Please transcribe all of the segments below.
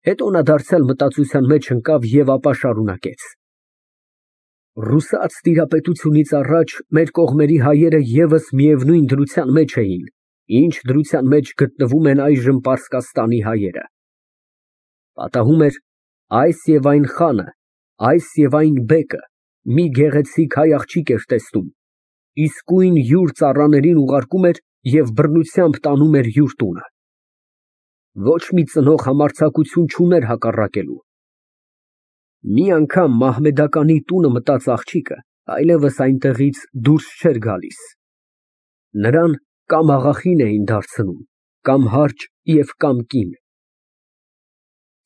Հետո նա դարձյալ մտածության մեջ ընկավ և ապա շարունակեց. Ռուսաց տիրապետությունից առաջ մեր կողմերի հայերը ևս միևնույն դրության մեջ էին, ինչ դրության մեջ գտնվում են այժմ Պարսկաստանի հայերը. պատահում էր այս և այն խանը, այս և այն բեկը մի գեղեցիկ հայ աղջիկ էր տեսնում, իսկույն յուր ծառաներին ուղարկում էր և բռնությամբ տանում էր յուր տունը. ոչ մի ծնող համարձակություն չուներ հակառակելու։ Մի անգամ Մահմեդականի տունը մտած աղջիկը այլևս այնտեղից դուրս չէր գալիս. նրան կամ աղախին էին դարձնում, կամ հարճ և կամ կին։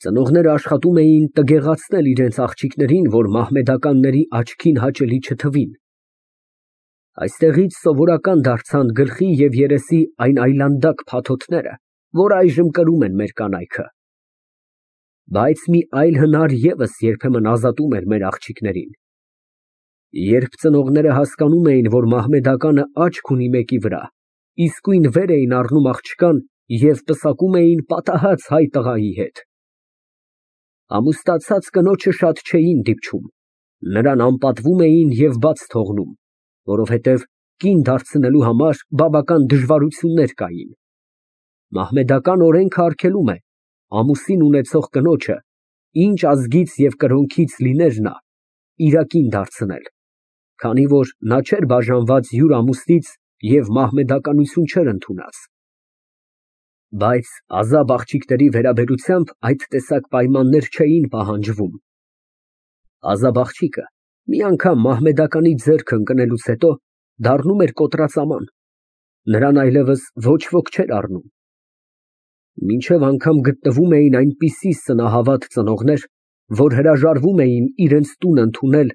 Ծնողները աշխատում էին տգեղացնել իրենց աղջիկներին, որ մահմեդականների աչքին հաճելի չթվին։ Այստեղից սովորական դարձան գլխի և երեսի այն այլանդակ փաթոթները, որ այժմ կրում են մեր կանայքը։ Բայց մի այլ հնար ևս երբեմն ազատում էր մեր աղջիկներին։ Երբ ծնողները հասկանում էին, որ մահմեդականը աչք ունի մեկի վրա, իսկույն վեր էին առնում աղջկան և պսակում էին պատահած հայ տղայի հետ։ Ամուսնացած կնոջը շատ չէին դիպչում, նրան անպատվում էին և բաց թողնում, որովհետև կին դարձնելու համար բավական դժվարություններ կային։ Մահմեդական օրենքը արգելում է ամուսին ունեցող կնոջը, ինչ ազգից և կրոնքից լիներ նա, իրակին դարձնել, քանի որ նա չէր բաժանված յուր ամուսնից և մահմեդականություն չէր ընդունած։ Բայց ազատ աղջիկների վերաբերությամբ այդ տեսակ պայմաններ չէին պահանջվում։ Ազատ աղջիկը մի անգամ մահմեդականի ձեռքը ընկնելուց հետո դառնում էր կոտրածաման, նրան այլևս ոչ ոք չէր առնում։ Մինչև անգամ գտնվում էին այնպիսի սնահավատ ծնողներ, որ հրաժարվում էին իրենց տուն ընդունել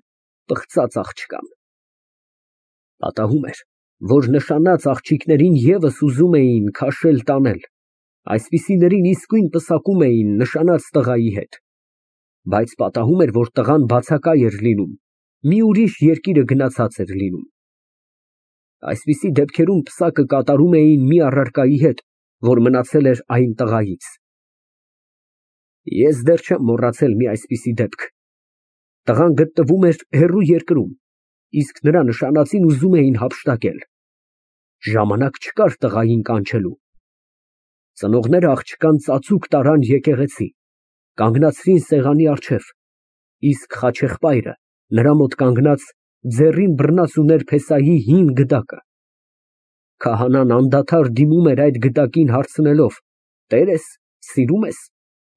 պղծած աղջկան։ Պատահում էր, որ նշանած աղջիկներին ևս ուզում էին քաշել տանել, այսպիսիներին իսկույն պսակում էին նշանած տղայի հետ, բայց պատահում էր, որ տղան բացակայ էր լինում, մի ուրիշ երկիրը գնացած էր լինում։ Այսպիսի դեպքերում պսակը կատարում էին մի առարկայի հետ, որ մնացել էր այն տղայից։ Ես դեռ չեմ մոռացել մի այսպիսի դեպք։ Տղան գտնվում էր հեռու երկրում, իսկ նրա նշանածին ուզում էին հափշտակել։ Ժամանակ չկար տղային կանչելու։ Ծնողները աղջկան ծածուկ տարան եկեղեցի, կանգնացրին սեղանի առջև, իսկ խաչեղբայրը նրա մոտ կանգնած ձեռին բռնած ուներ փեսայի հին գդակը։ Քահանան անդադար դիմում էր այդ գդակին հարցնելով. «Տեր ես, սիրո՞ւմ ես»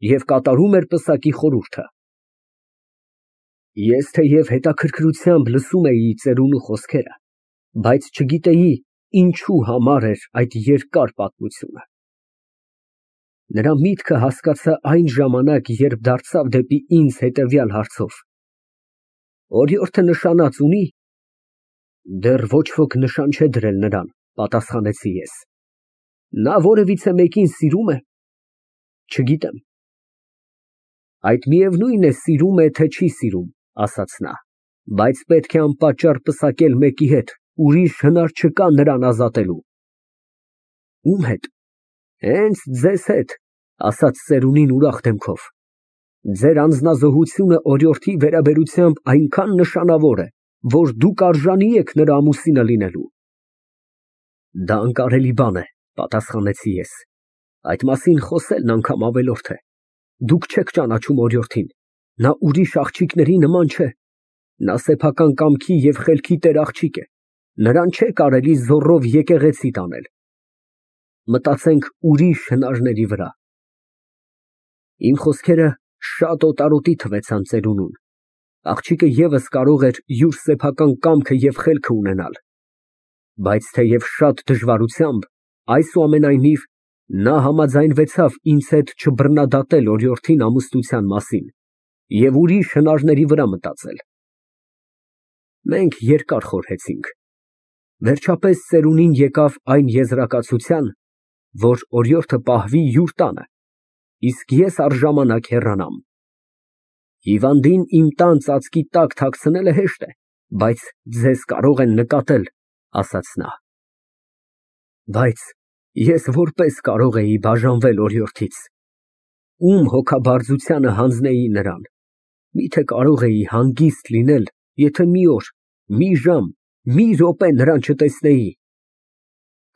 և կատարում էր պսակի խորհուրդը։ Ես թեև հետաքրքրությամբ լսում էի ծերունու խոսքերը, բայց չգիտեի ինչու համար էր այդ երկար պատմությունը։ Նրա միտքը հասկացա այն ժամանակ, երբ դարձավ դեպի ինձ հետևյալ հարցով. «Օրիորդը նշանած ունի՞»։ Դեռ ոչ ոք նշան չէ դրել նրան, պատասխանեցի ես։ Նա որևիցե մեկին սիրո՞ւմ է։ Չգիտեմ։ Այդ միևնույն է սիրում է, թե չի սիրում, ասաց նա, բայց պետք է անպատճառ պսակել մեկի հետ, ուրիշ հնար չկա նրան ազատելու։ Ո՞ւմ հետ։ Հենց ձեզ հետ, ասաց ծերունին ուրախ դեմքով։ Ձեր անձնազոհությունը օրիորդի վերաբերությամբ այնքան նշանավոր է, որ դուք արժանի եք նրա ամուսինը լինելու։ Դա անկարելի բան է, պատասխանեցի ես։ Այդ մասին խոսելն անգամ ավելորդ է։ Դուք չեք ճանաչում օրիորդին, նա ուրիշ աղջիկների նման չէ։ Նա սեփական կամքի և խելքի տեր աղջիկ է, նրան չէ կարելի զոռով եկեղեցի տանել։ Մտածենք ուրիշ հնարների վրա։ Իմ խոսքերը շատ օտարոտի թվեցան ծերունուն։ Աղջիկը ևս կարող էր յուր սեփական կամքը և խելքը ունենալ։ Բայց թեև շատ դժվարությամբ, այսուամենայնիվ, նա համաձայնվեցավ ինձ հետ չբռնադատել օրիորդին ամուսնության մասին և ուրիշ հնարների վրա մտածել։ Մենք երկար խորհեցինք։ Վերջապես ծերունին եկավ այն եզրակացության, որ օրիորդը պահվի յուր տանը, իսկ ես առժամանակ հեռանամ։ Հիվանդին իմ տան ծածկի տակ թաքցնելը հեշտ է, բայց ձեզ կարող են նկատել, ասաց նա։ Բայց ես որպես կարող էի բաժանվել օրիորդից։ ում հոգաբարձությանը հանձնեի նրան, միթե կարող էի հանգիստ լինել, եթե մի օր, մի ժամ, մի րոպե նրան չտեսնեի,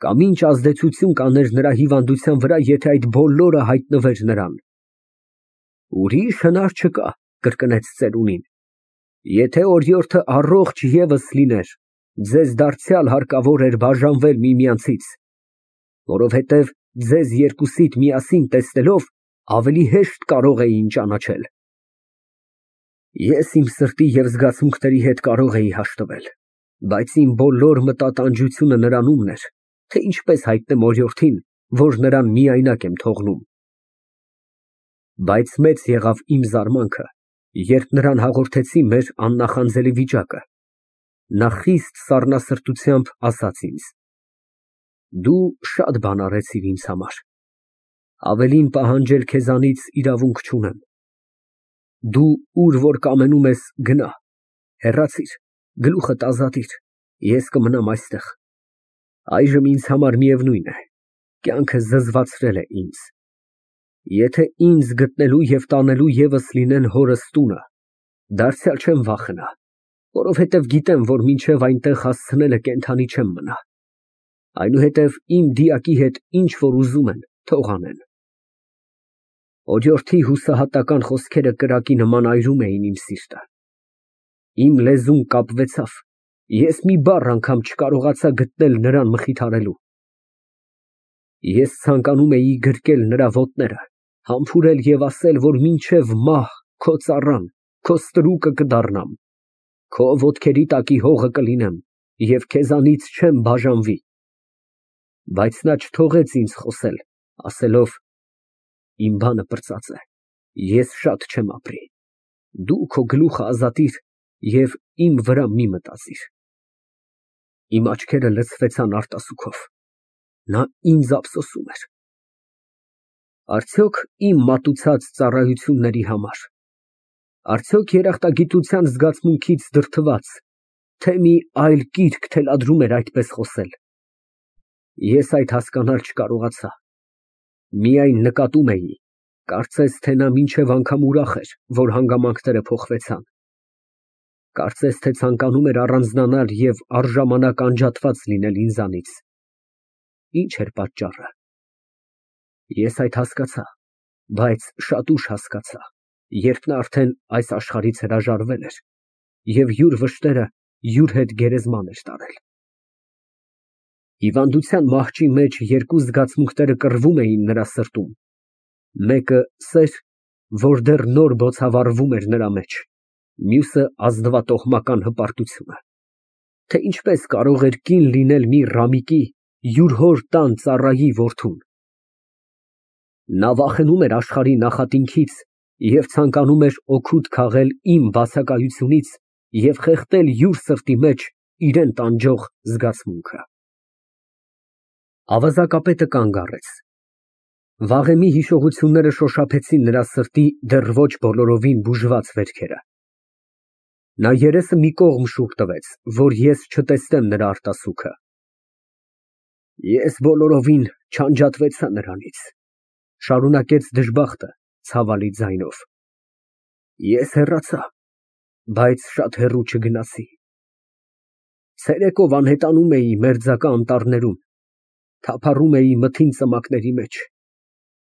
կամ ինչ ազդեցություն կաներ նրա հիվանդության վրա, եթե այդ բոլորը հայտնվեր նրան։ Ուրիշ հնար չկա, կրկնեց ծերունին, եթե օրիորդը առողջ ևս լիներ, ձեզ դարձյալ հարկավոր էր բաժանվել միմյանցից, որովհետև ձեզ երկուսիդ միասին տեսնելով ավելի հեշտ կարող էին ճանաչել։ Ես իմ սրտի և զգացմունքների հետ կարող էի հաշտվել, բայց իմ բոլոր մտատանջությունը նրանումն էր, թե ինչպես հայտնեմ օրիորդին, որ նրան միայնակ եմ թողնում։ Բայց մեծ եղավ իմ զարմանքը, երբ նրան հաղորդեցի մեր աննախանձելի վիճակը, նա խիստ սառնասրտությամբ ասաց ինձ. «Դու շատ բան արեցիր ինձ համար, ավելին պահանջել քեզանից իրավունք չունեմ, դու ուր որ կամենում ես գնա, հեռացիր, գլուխդ ազատիր, ես կմնամ այստեղ, այժմ ինձ համար միևնույն է, կյանքը զզվացրել է ինձ, եթե ինձ գտնելու և տանելու ևս լինեն հորս տունը, դարձյալ չեմ վախենա, որովհետև գիտեմ, որ մինչև այնտեղ հասցնելը կենդանի չեմ մնա, այնուհետև իմ դիակի հետ ինչ որ ուզում են, թող անեն»։ Օրիորդի հուսահատական խոսքերը կրակի նման այրում էին իմ սիրտը, իմ լեզուն կապվեցավ, ես մի բառ անգամ չկարողացա գտնել նրան մխիթարելու։ Ես ցանկանում էի գրկել նրա ոտները, համբուրել և ասել, որ մինչև մահ քո ծառան, քո ստրուկը կդառնամ, քո ոտքերի տակի հողը կլինեմ և քեզանից չեմ բաժանվի, բայց նա չթողեց ինձ խոսել, ասելով. «Իմ բանը պրծած է, ես շատ չեմ ապրի, դու քո գլուխը ազատիր և իմ վրա մի մտածիր»։ Իմ աչքերը լցվեցան արտասուքով, նա ինձ ափսոսում էր։ Արդյոք իմ մատուցած ծառայությունների համար, արդյոք երախտագիտության զգացմունքից դրդված, թե մի այլ կիրք թելադրում էր այդպես խոսել։ Ես այդ հասկանալ չկարողացա, միայն նկատում էի, կարծես թե նա մինչև անգամ ուրախ էր, որ հանգամանքները փոխվեցան, կարծես թե ցանկանում էր առանձնանալ և առժամանակ անջատված լինել ինձանից։ Ինչ էր պատճառը։ Ես այդ հասկացա, բայց շատ ուշ հասկացա, երբ նա արդեն այս աշխարհից հրաժարվել էր և յուր վշտերը յուր հետ գերեզման էր տարել։ Հիվանդության մահճի մեջ երկու զգացմունքները կռվում էին նրա սրտում, մեկը սեր, որ դեռ նոր բոցավառվում էր նրա մեջ, մյուսը ազնվատոհմական հպարտությունը, թե ինչպես կարող էր կին լինել մի ռամիկի, յուր հոր տան ծառայի որդուն։ Նա վախենում էր աշխարհի նախատինքից և ցանկանում էր օգուտ քաղել իմ բացակայությունից և խեղդել յուր սրտի մեջ իրան տանջող զգացմունքը։ Ավազակապետը կանգ առեց։ Վաղեմի հիշողությունները շոշափեցին նրա սրտի դեռ ոչ բոլորովին բուժված վերքերը։ Նա երեսը մի կողմ շուռ տվեց, որ ես չտեսնեմ նրա արտասուքը։ Ես բոլորովին չանջատվեցա նրանից, շարունակեց դժբախտը ցավալի ձայնով։ Ես հեռացա, բայց շատ հեռու չգնացի։ Ցերեկով անհետանում էի մերձակա անտառներում, թափառում էի մթին ծմակների մեջ,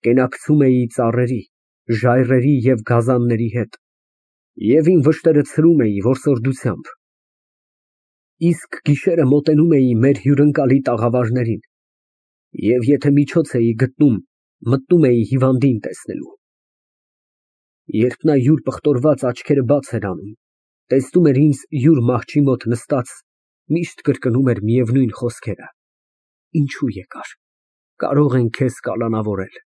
կենակցում էի ծառերի, ժայռերի և գազանների հետ և իմ վշտերը ցրում էի որսորդությամբ։ Իսկ գիշերը մոտենում էի մեր հյուրընկալի տաղավարներին և եթե միջոց էի գտնում, մտնում էի հիվանդին տեսնելու։ Երբ նա յուր պղտորված աչքերը բաց էր անում, տեսնում էր ինձ յուր մահճի մոտ նստած, միշտ կրկնում էր միևնույն խոսքերը. «Ինչու եկար, կարող են քեզ կալանավորել»։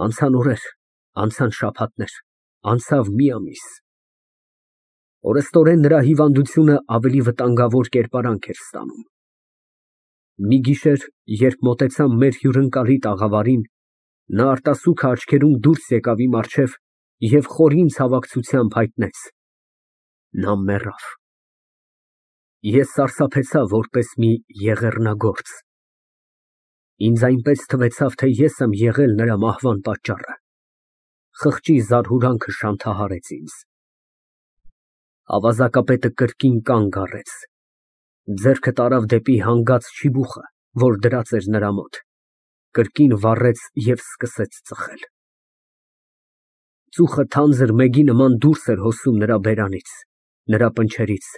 Անցան օրեր, անցան շաբաթներ, անցավ մի ամիս։ Օրեստորեն նրա հիվանդությունը ավելի վտանգավոր կերպարանք էր ստանում։ Մի գիշեր, երբ մոտեցամ մեր հյուրընկալի տաղավարին, նա արտասուքը աչքերում դուրս եկավ իմ առջև և խորին ցավակցությամբ հայտնեց. նա մեռավ։ Ես սարսափեցա որպես մի եղեռնագործ։ Ինձ այնպես թվեցավ, թե ես եմ եղել նրա մահվան պատճառը։ Խղճի զարհուրանքը շանթահարեց ինձ։ Ավազակապետը կրկին կանգ առեց, ձեռքը տարավ դեպի հանգած չիբուխը, որ դրած էր նրա մոտ, կրկին վառեց և սկսեց ծխել։ Ծուխը թանձր մեգի նման դուրս էր հոսում նրա բերանից, նրա պնչերից,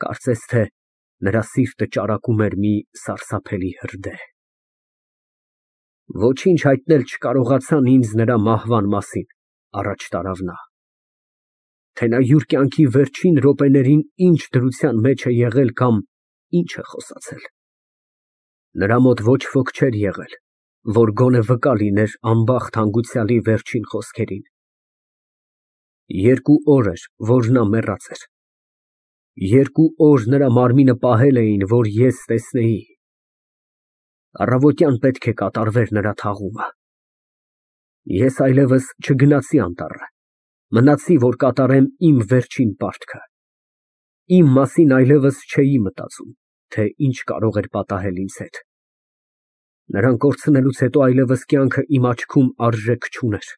կարծես թե նրա սիրտը ճարակում էր մի սարսափելի հրդեհ։ Ոչինչ հայտնել չկարողացան ինձ նրա մահվան մասին, առաջ տարավ նա, թե նա յուր կյանքի վերջին րոպեներին ինչ դրության մեջ է եղել կամ ինչ է խոսացել։ Նրա մոտ ոչ ոք չէր եղել, որ գոնե վկա լիներ անբախտ հանգուցյալի վերջին խոսքերին։ 2 օր էր, որ նա մեռած էր։ 2 օր նրա մարմինը պահել էին, որ ես տեսնեի։ Առավոտյան պետք է կատարվեր նրա թաղումը։ Ես այլևս չգնացի անտառ, մնացի, որ կատարեմ իմ վերջին պարտքը։ Իմ մասին այլևս չէի մտածում, թե ինչ կարող էր պատահել ինձ հետ։ Նրան կորցնելուց հետո այլևս կյանքը իմ աչքում արժեք չուներ։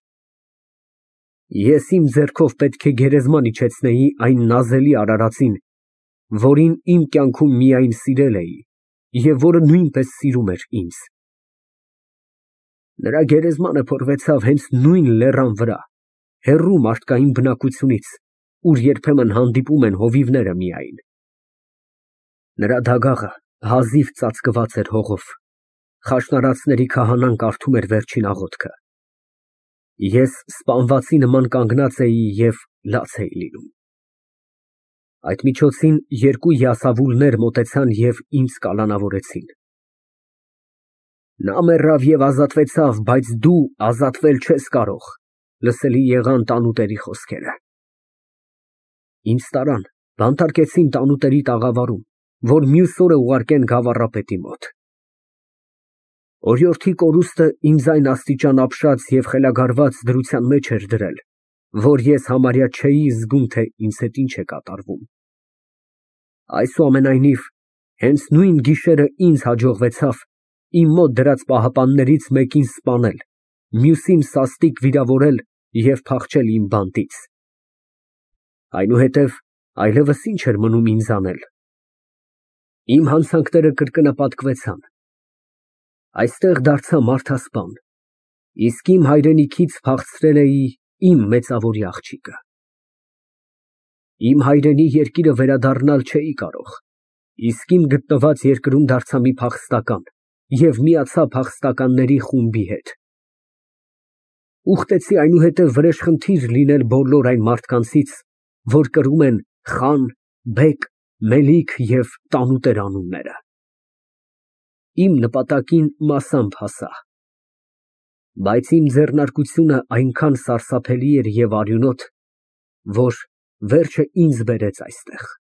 Ես իմ ձեռքով պետք է գերեզման իջեցնեի այն նազելի արարածին, որին իմ կյանքում միայն սիրել էի և որը նույնպես սիրում էր ինձ։ Նրա գերեզմանը փորվեցավ հենց նույն լեռան վրա, հեռու մարդկային բնակությունից, ուր երբեմն հանդիպում են հովիվները միայն։ Նրա դագաղը հազիվ ծածկված էր հողով, խաշնարածների քահանան կարդում էր վերջին աղոթքը։ Ես սպանվածի նման կանգնած էի և լաց էի լինում։ Այդ միջոցին 2 յասավուլներ մոտեցան և ինձ կալանավորեցին։ Նա մեռավ և ազատվեցավ, բայց դու ազատվել չես կարող, լսելի եղան տանուտերի խոսքերը։ Ինձ տարան, բանտարկեցին տանուտերի տաղավարում, որ մյուս օրը ուղարկեն գավառապետի մոտ։ Օրիորդի կորուստը ինձ այն աստիճան ապշած և խելագարված դրության մեջ էր դրել, որ ես համարյա չէի զգում, թե ինձ հետ ինչ է կատարվում։ Այսուամենայնիվ, հենց նույն գիշերը ինձ հաջողվեցավ իմ մոտ դրած պահապաններից մեկին սպանել, մյուսին սաստիկ վիրավորել և փախչել իմ բանտից։ Այնուհետև այլևս ինչ էր մնում ինձ անել։ Իմ հանցանքները կրկնապատկվեցան։ Այստեղ դարձա մարդասպան, իսկ իմ հայրենիքից փախցրել էի իմ մեծավորի աղջիկը։ Իմ հայրենի երկիրը վերադառնալ չէի կարող, իսկ իմ գտնված երկրում դարձա մի փախստական և միացա փախստականների խումբի հետ։ Ուխտեցի այնուհետև վրեժխնդիր լինել բոլոր այն մարդկանցից, որ կրում են խան, բեկ, մելիք և տանուտեր անունները։ Իմ նպատակին մասամբ հասա, բայց իմ ձեռնարկությունը այնքան սարսափելի էր և արյունոտ, որ վերջը ինձ բերեց այստեղ։